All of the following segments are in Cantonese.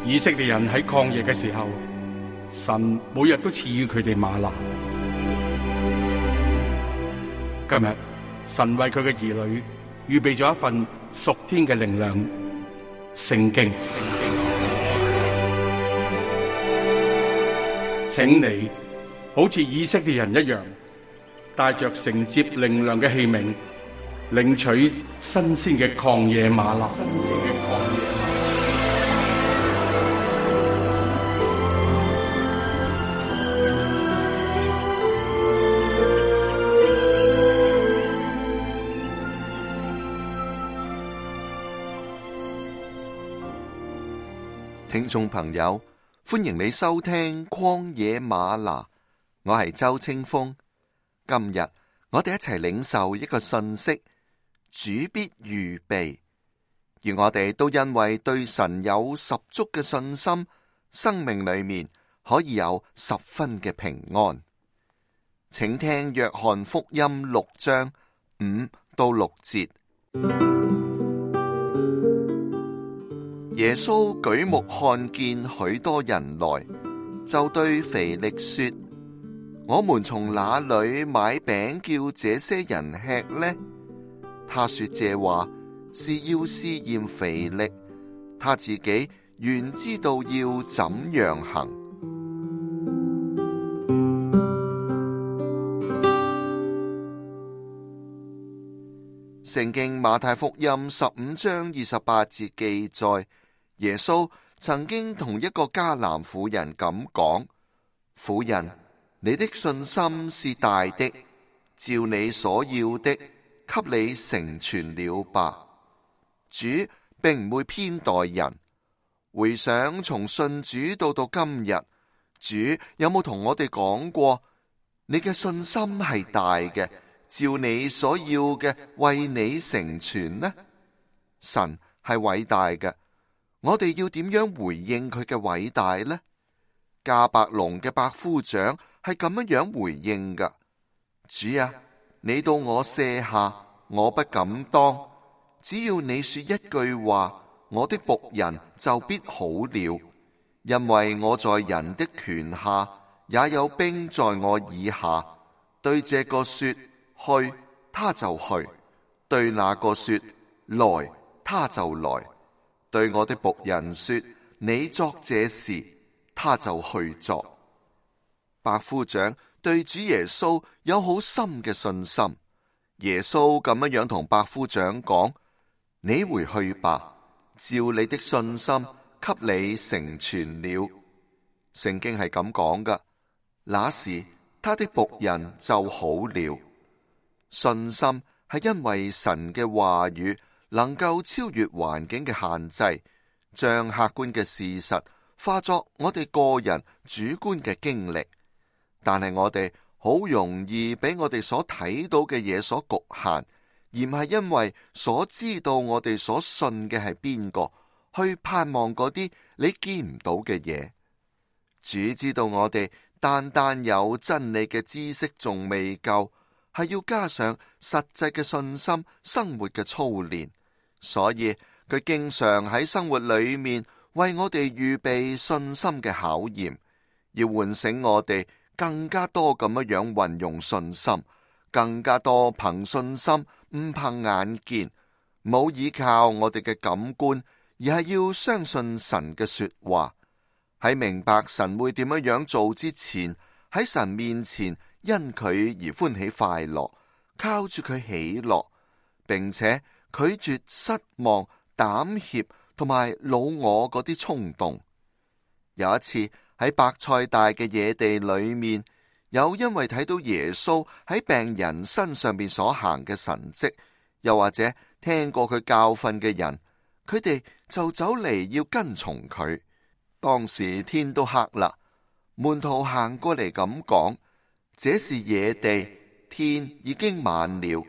以色列人喺曠野嘅時候，神每日都賜予佢哋嗎哪。今日神為佢嘅兒女預備咗一份屬天嘅靈糧——聖經。請你好似以色列人一樣，帶着承接靈糧嘅器皿，領取新鮮嘅曠野嗎哪。聽眾朋友，歡迎你收聽曠野嗎哪，我係周清風。今日我哋一齊領受一個信息：主必預備。而我哋都因為對神有十足嘅信心，生命裏面可以有十分嘅平安。請聽約翰福音6章5到6節。耶穌舉目看見許多人來，就對腓力說：我們從哪裏買餅叫這些人吃呢？他說這話是要試驗腓力，他自己原知道要怎樣行。聖經馬太福音15章28節記載，耶穌曾經同一個迦南婦人咁講：婦人，你的信心是大的，照你所要的，給你成全了吧。主並唔會偏待人。回想從信主到今日，主有冇同我哋講過，你嘅信心係大嘅，照你所要嘅為你成全呢？神係偉大嘅。我哋要點樣回應佢嘅偉大呢？迦百農嘅百夫長係咁樣回應噶：主啊，你到我舍下，我不敢當，只要你說一句話，我的僕人就必好了。因為我在人的權下，也有兵在我以下。對這個說去，他就去；對那個說來，他就來。對我的僕人說，你作這事，他就去做。百夫長對主耶穌有好深嘅信心。耶穌咁樣同百夫長講：你回去吧，照你的信心給你成全了。聖經係咁講噶。那時他的僕人就好了。信心係因為神嘅話語能夠超越環境嘅限制，將客觀嘅事實化作我哋個人主觀嘅經歷。但係我哋好容易俾我哋所睇到嘅嘢所局限，而唔係因為所知道我哋所信嘅係邊個，去盼望嗰啲你見唔到嘅嘢。主知道我哋單單有真理嘅知識仲未夠，係要加上實際嘅信心生活嘅操練，所以佢經常喺生活裏面為我哋預備信心嘅考驗，要喚醒我哋更加多咁樣運用信心，更加多憑信心唔憑眼見，冇依靠我哋嘅感官，而係要相信神嘅說話。喺明白神會點樣做之前，喺神面前因佢而歡喜快樂，靠住佢喜樂，並且拒絕失望、膽怯同埋老我嗰啲衝動。有一次喺伯賽大嘅野地裏面，有因為睇到耶穌喺病人身上邊所行嘅神蹟，又或者聽過佢教訓嘅人，佢哋就走嚟要跟從佢。當時天都黑啦，門徒行過嚟咁講：這是野地，天已經晚了。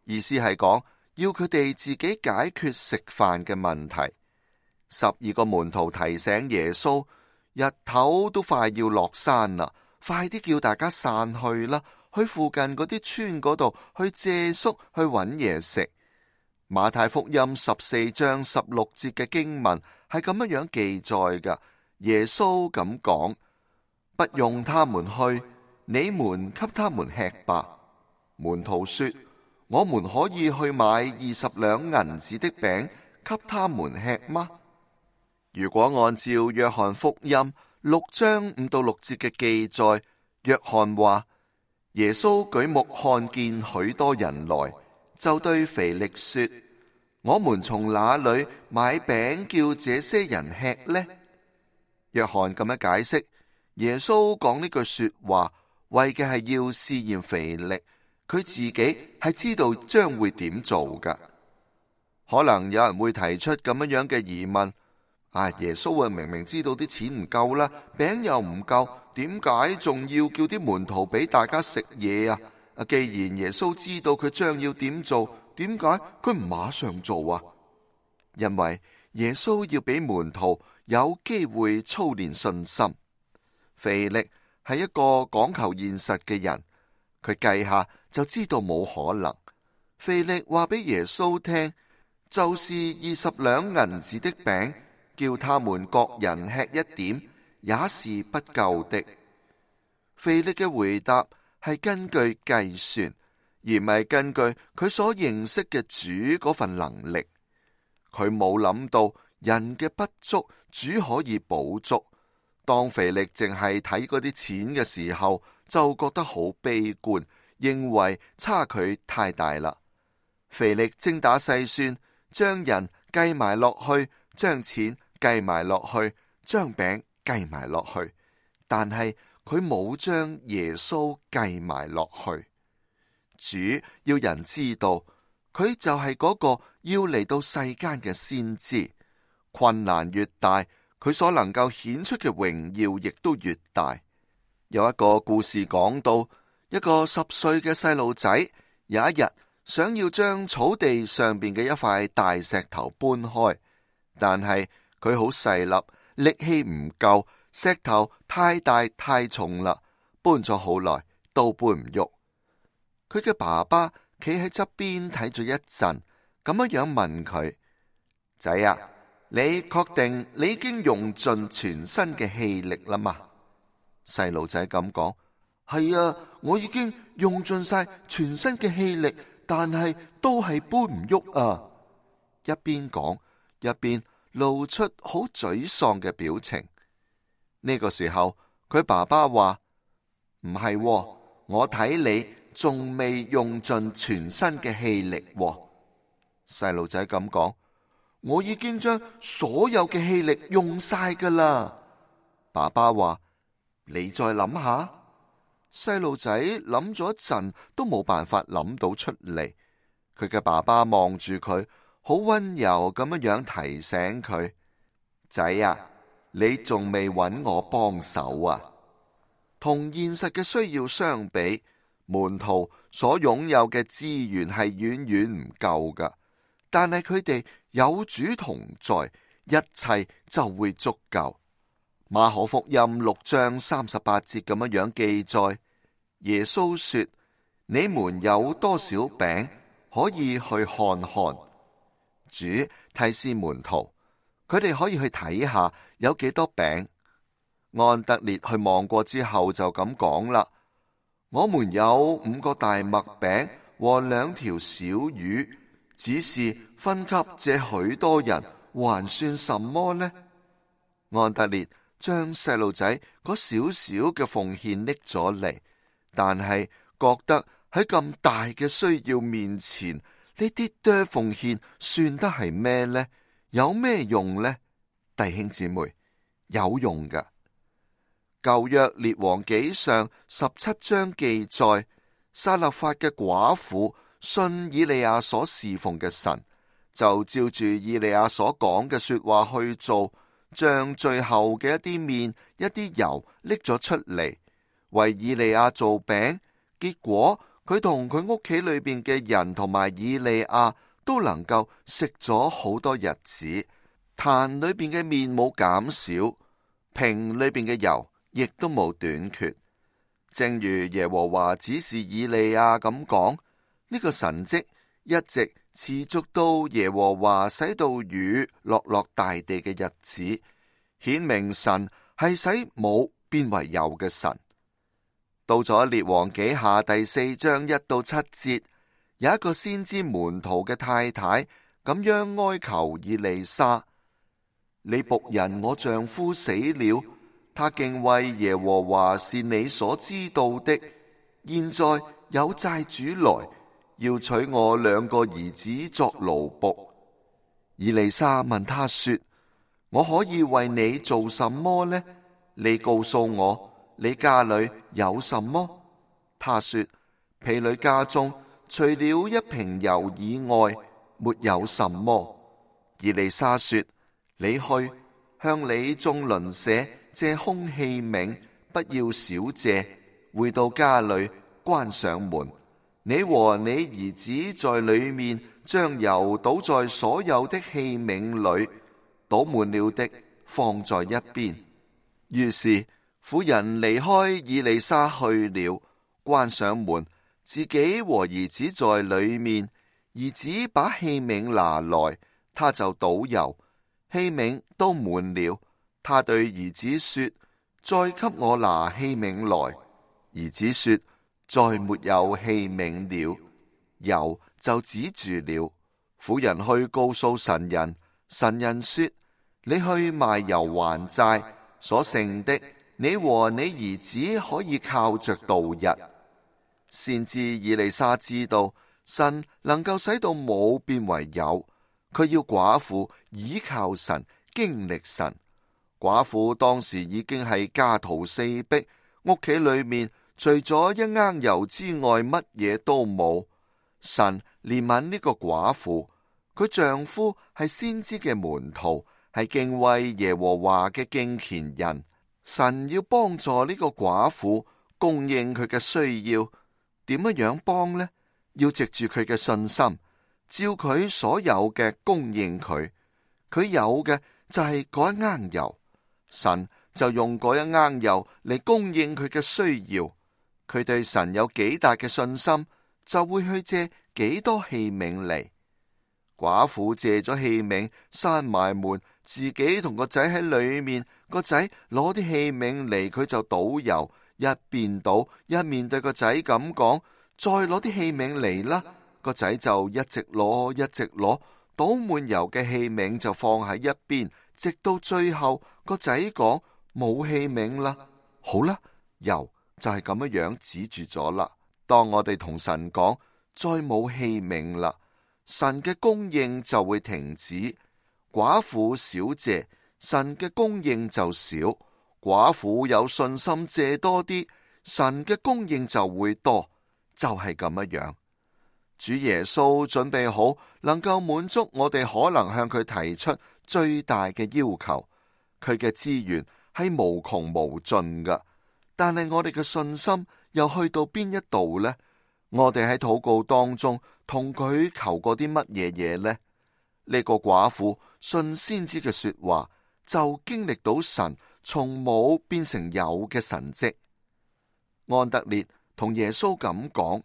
意思係講要佢哋自己解決食飯嘅問題。12個門徒提醒耶穌：日頭都快要落山啦，快啲叫大家散去啦，去附近嗰啲村嗰度去借宿去揾嘢食。馬太福音14章16節嘅經文係咁樣記載㗎。耶穌咁講：不用他們去，你們給他們吃吧。門徒說：我們可以去買20兩銀子的餅給他們吃嗎？如果按照約翰福音6章5到6節嘅記載，約翰話：耶穌舉目看見許多人來，就對腓力說：我們從哪裏買餅叫這些人吃呢？約翰咁樣解釋，耶穌講呢句說話，為嘅係要試驗腓力，佢自己係知道將會點做噶。可能有人會提出咁樣嘅疑問：耶穌明明知道啲錢唔夠啦，餅又唔夠，點解仲要叫啲門徒俾大家食嘢啊？既然耶穌知道佢將要點做，點解佢唔馬上做啊？因為耶穌要俾門徒有機會操練信心。腓力係一個講求現實嘅人，佢計下就知道冇可能。腓力話俾耶穌聽，就是20兩銀子的餅，叫他們各人吃一點，也是不夠的。腓力嘅回答係根據計算，而唔係根據佢所認識嘅主嗰份能力。佢冇諗到人嘅不足，主可以補足。當腓力淨係睇嗰啲錢嘅時候，就覺得好悲觀，認為差距太大啦。腓力精打細算，將人計埋落去，將錢計埋落去，將餅計埋落去，但係佢冇將耶穌計埋落去。主要人知道，佢就係嗰個要嚟到世間嘅先知。困難越大，佢所能夠顯出嘅榮耀亦都越大。有一個故事講到，一個10歲嘅細路仔有一日想要將草地上邊嘅一塊大石頭搬開，但係佢好細粒，力氣唔夠，石頭太大太重啦，搬咗好耐都搬唔喐。佢嘅爸爸企喺側邊睇咗一陣，咁樣問佢：仔啊，你確定你已經用盡全身嘅氣力啦嘛？細路仔咁講：係啊，我已經用盡晒全身嘅氣力，但係都係搬唔喐啊！一邊講一邊露出好沮喪嘅表情。呢個時候，佢爸爸話：唔係喎，我睇你仲未用盡全身嘅氣力喎。細路仔咁講：我已經將所有嘅氣力用晒噶啦。爸爸話：你再諗下。細路仔諗咗一陣都冇辦法諗到出嚟。佢嘅爸爸望住佢，好溫柔咁樣提醒佢：仔啊，你仲未揾我幫手啊？同現實嘅需要相比，門徒所擁有嘅資源係遠遠唔夠噶，但係佢哋有主同在，一切就會足夠。馬可福音6章38節咁樣記載，耶穌說：你們有多少餅，可以去看看。主提示門徒，佢哋可以去睇下有幾多餅。安德烈去望過之後就咁講啦：我們有5個大麥餅和2條小魚，只是分給這許多人，還算什麼呢？安德烈將細路仔嗰少少嘅奉獻拎咗嚟，但係覺得喺咁大嘅需要面前，呢啲多奉獻算得係咩呢？有咩用呢？弟兄姊妹，有用噶。舊約列王紀上17章記載，撒勒法嘅寡婦信以利亞所侍奉嘅神，就照住以利亞所講嘅說話去做，將最後嘅一啲麵、一啲油拎咗出嚟，為以利亞做餅。結果佢同佢屋企裏邊嘅人同埋以利亞都能夠食咗好多日子，壇裏邊嘅麵冇減少，瓶裏邊嘅油亦都冇短缺。正如耶和華指示以利亞咁講，呢個神蹟一直持續到耶和華使到雨落大地嘅日子，顯明神係使冇變為有嘅神。到咗列王紀下第4章1到7節，有一個先知門徒嘅太太咁樣哀求以利沙：你僕人我丈夫死了，他敬畏耶和華是你所知道的，現在有債主來，要娶我2個兒子作奴僕。以利沙問他說：我可以為你做什麼呢？你告訴我，你家裏有什麼？他說：婢女家中除了一瓶油以外，沒有什麼。以利沙說：你去向你眾鄰舍借空器皿，不要少借，回到家裏關上門。你和你兒子在裏面將油倒在所有的器皿裏，倒滿了的放在一邊。於是婦人離開以利沙去了，關上門，自己和兒子在裏面。兒子把器皿拿來，他就倒油，器皿都滿了。他對兒子說：再給我拿器皿來。兒子說：再沒有器皿了，油就止住了。婦人去告訴神人，神人說：你去賣油還債，所剩的你和你兒子可以靠着度日。先知以利沙知道神能夠使到冇變為有，佢要寡婦倚靠神，經歷神。寡婦當時已經係家徒四壁，屋企裏面除咗一罌油之外，乜嘢都冇。神憐憫呢個寡婦，佢丈夫係先知嘅門徒，係敬畏耶和華嘅敬虔人。神要幫助呢個寡婦，供應佢嘅需要。點樣幫呢？要藉住佢嘅信心，照佢所有嘅供應佢。佢有嘅就係嗰一罌油，神就用嗰一罌油嚟供應佢嘅需要。佢對神有幾大嘅信心，就會去借幾多器皿嚟。寡婦借咗器皿，閂埋門，自己同個仔喺裏面。個仔攞啲器皿嚟，佢就倒油，一邊倒一面對個仔咁講：再攞啲器皿嚟啦。個仔就一直攞，一直攞，倒滿油嘅器皿就放喺一邊，直到最後個仔講：冇器皿啦。好啦，油就係咁樣止住咗啦。當我哋同神講再冇器皿啦，神嘅供應就會停止。寡婦少借，神嘅供應就少；寡婦有信心借多啲，神嘅供應就會多。就係咁樣。主耶穌準備好能夠滿足我哋可能向佢提出最大嘅要求。佢嘅資源係無窮無盡噶，但係我哋嘅信心又去到邊一度呢？我哋喺禱告當中同佢求過啲乜嘢呢？呢個寡婦信先知嘅說話，就經歷到神從冇變成有嘅神蹟。安德烈同耶穌咁講：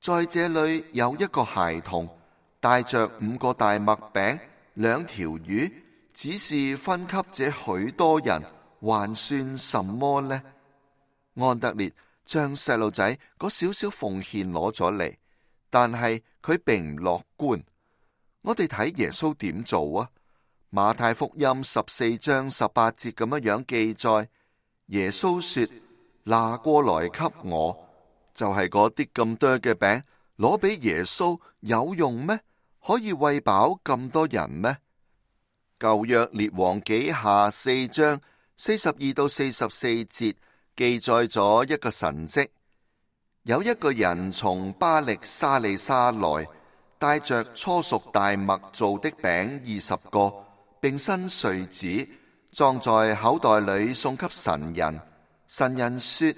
在這裏有一個孩童，帶着5個大麥餅、2條魚，只是分給這許多人，還算什麼呢？安德烈將細路仔嗰少少奉獻攞咗嚟，但係佢並唔樂觀。我哋睇耶穌點做啊？馬太福音14章18節咁樣記載，耶穌說：拿過來給我。就係嗰啲咁多嘅餅，攞俾耶穌有用咩？可以餵飽咁多人咩？舊約列王紀下4章42到44節記載咗一個神蹟。有一個人從巴力沙利沙來，帶着初熟大麥做的餅20個，並新穗子，裝在口袋裏送給神人。神人說：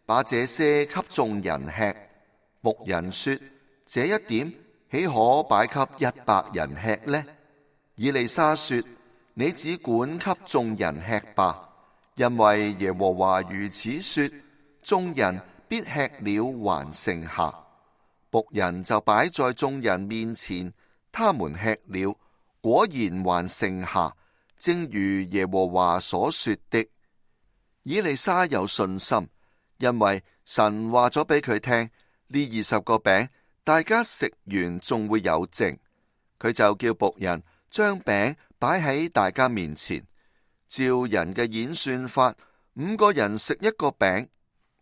把這些給眾人吃。牧人說：這一點豈可擺給100人吃呢？以利沙說：你只管給眾人吃吧，因為耶和華如此說：眾人必吃了還剩下。僕人就擺在眾人面前，他們吃了，果然還剩下，正如耶和華所說的。以利沙有信心，因為神話咗俾佢聽，呢20個餅大家食完仲會有剩，佢就叫僕人將餅擺喺大家面前。照人嘅演算法，5個人食1個餅，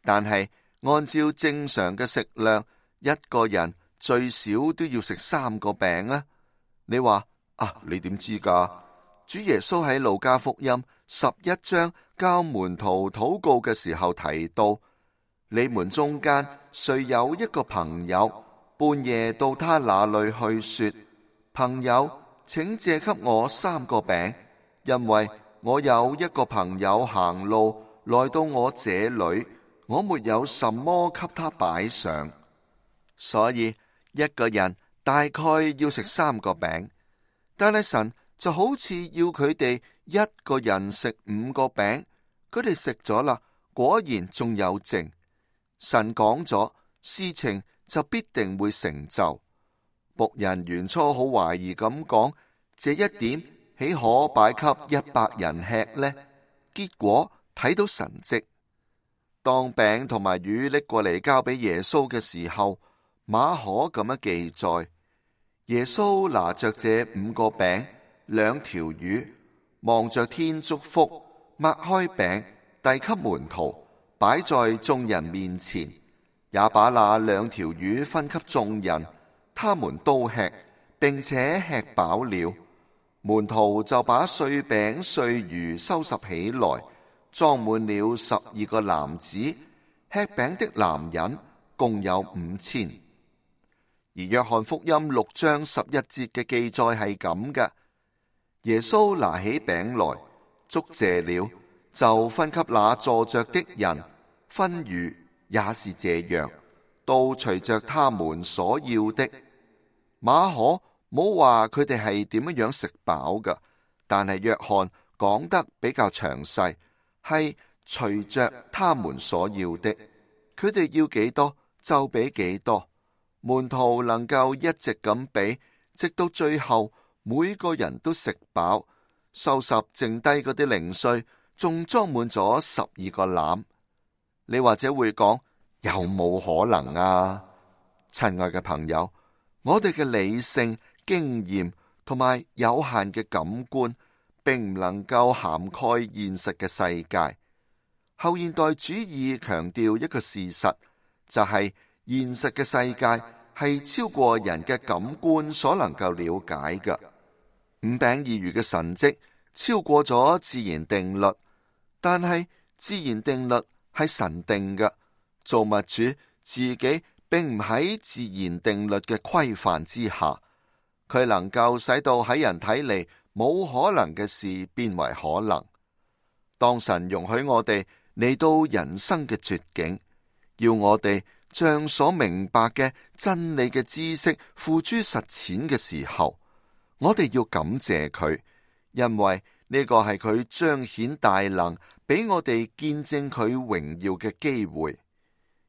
但係按照正常嘅食量，1個人最少都要食3個餅啊！你話你點知㗎？主耶穌喺路加福音11章教門徒禱告嘅時候提到，你們中間誰有一個朋友，半夜到他那裏去說，朋友，請借給我3個餅，因為我有一個朋友行路來到我這裏，我沒有什麼給他擺上。所以一個人大概要食3個餅，但係神就好似要佢哋一個人食5個餅，佢哋食咗啦，果然仲有剩。神講咗，事情就必定會成就。僕人原初好懷疑咁講，這一點豈可擺給100人吃呢？結果睇到神蹟。當餅同埋魚拎過嚟交俾耶穌嘅時候，馬可咁樣記載：耶穌拿着這5個餅、2條魚，望着天祝福，擘開餅，遞給門徒，擺在眾人面前，也把那2條魚分給眾人，他們都吃，並且吃飽了。門徒就把碎餅碎魚收拾起來，裝滿了12個籃子，吃餅的男人共有5000。而約翰福音6章11節嘅記載係咁嘅：耶穌拿起餅來，祝謝了，就分給那坐着的人，分魚也是這樣，都隨着他們所要的。馬可冇話佢哋係點樣食飽㗎，但係約翰講得比較詳細，係隨着他們所要的，佢哋要幾多就俾幾多。門徒能夠一直咁俾，直到最後每個人都食飽，收拾剩低嗰啲零碎，仲裝滿咗12個籃。你或者會講，有冇可能啊？親愛嘅朋友，我哋嘅理性、經驗同埋有限嘅感官，並唔能夠涵蓋現實嘅世界。後現代主義強調一個事實，就係現實嘅世界係超過人嘅感官所能夠了解嘅。5餅2魚嘅神蹟超過咗自然定律，但係自然定律係神定嘅，造物主自己並唔喺自然定律嘅規範之下，佢能夠使到喺人睇嚟冇可能嘅事變為可能。當神容許我哋嚟到人生嘅絕境，要我哋將所明白嘅真理嘅知識付諸實踐嘅時候，我哋要感謝佢，因為呢個係佢彰顯大能，俾我哋見證佢榮耀嘅機會。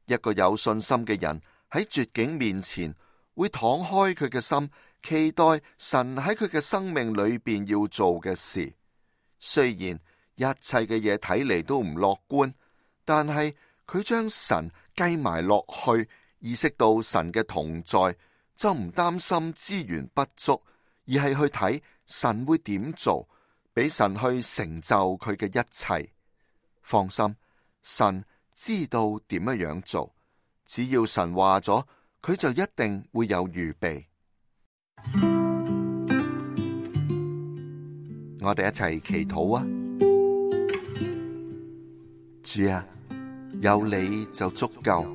一個有信心嘅人喺絕境面前，會敞開佢嘅心，期待神喺佢嘅生命裏邊要做嘅事。雖然一切嘅嘢睇嚟都唔樂觀，但係佢將神計埋落去，意識到神嘅同在，就唔擔心資源不足，而係去睇神會點做，俾神去成就佢嘅一切。放心，神知道點樣做，只要神話咗，佢就一定會有預備。我哋一齊祈禱啊！主啊，有你就足夠，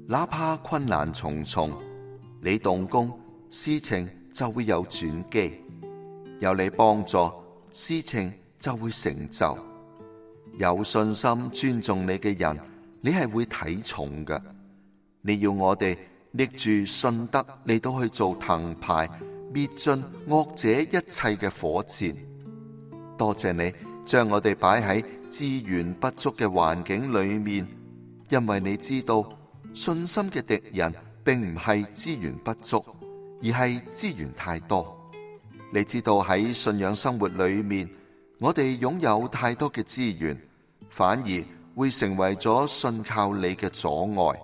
哪怕困難重重，你動工，事情就會有轉機；有你幫助，事情就會成就。有信心尊重你嘅人，你係會睇重嘅。你要我哋拎住信德嚟到去做藤牌，滅盡惡者一切嘅火箭。多謝你將我哋擺喺資源不足嘅環境裏面，因為你知道信心嘅敵人並唔係資源不足，而係資源太多。你知道喺信仰生活裏面，我哋擁有太多嘅資源，反而會成為咗信靠你嘅阻礙。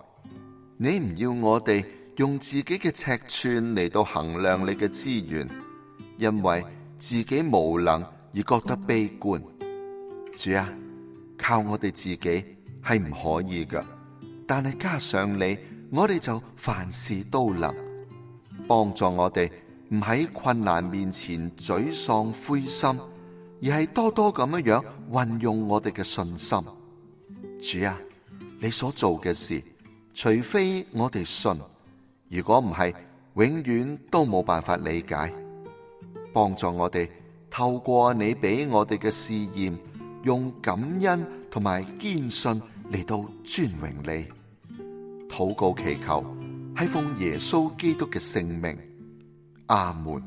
你唔要我哋用自己嘅尺寸嚟到衡量你嘅資源，因為自己無能而覺得悲觀。主啊，靠我哋自己係唔可以㗎，但係加上你，我哋就凡事都能。幫助我哋唔喺困難面前沮喪灰心，而係多多咁樣運用我哋嘅信心。主啊，你所做嘅事，除非我哋信，如果唔係，永遠都冇辦法理解。幫助我哋透過你俾我哋嘅試驗，用感恩同埋堅信嚟到尊榮你。禱告祈求係奉耶穌基督嘅聖名，阿門。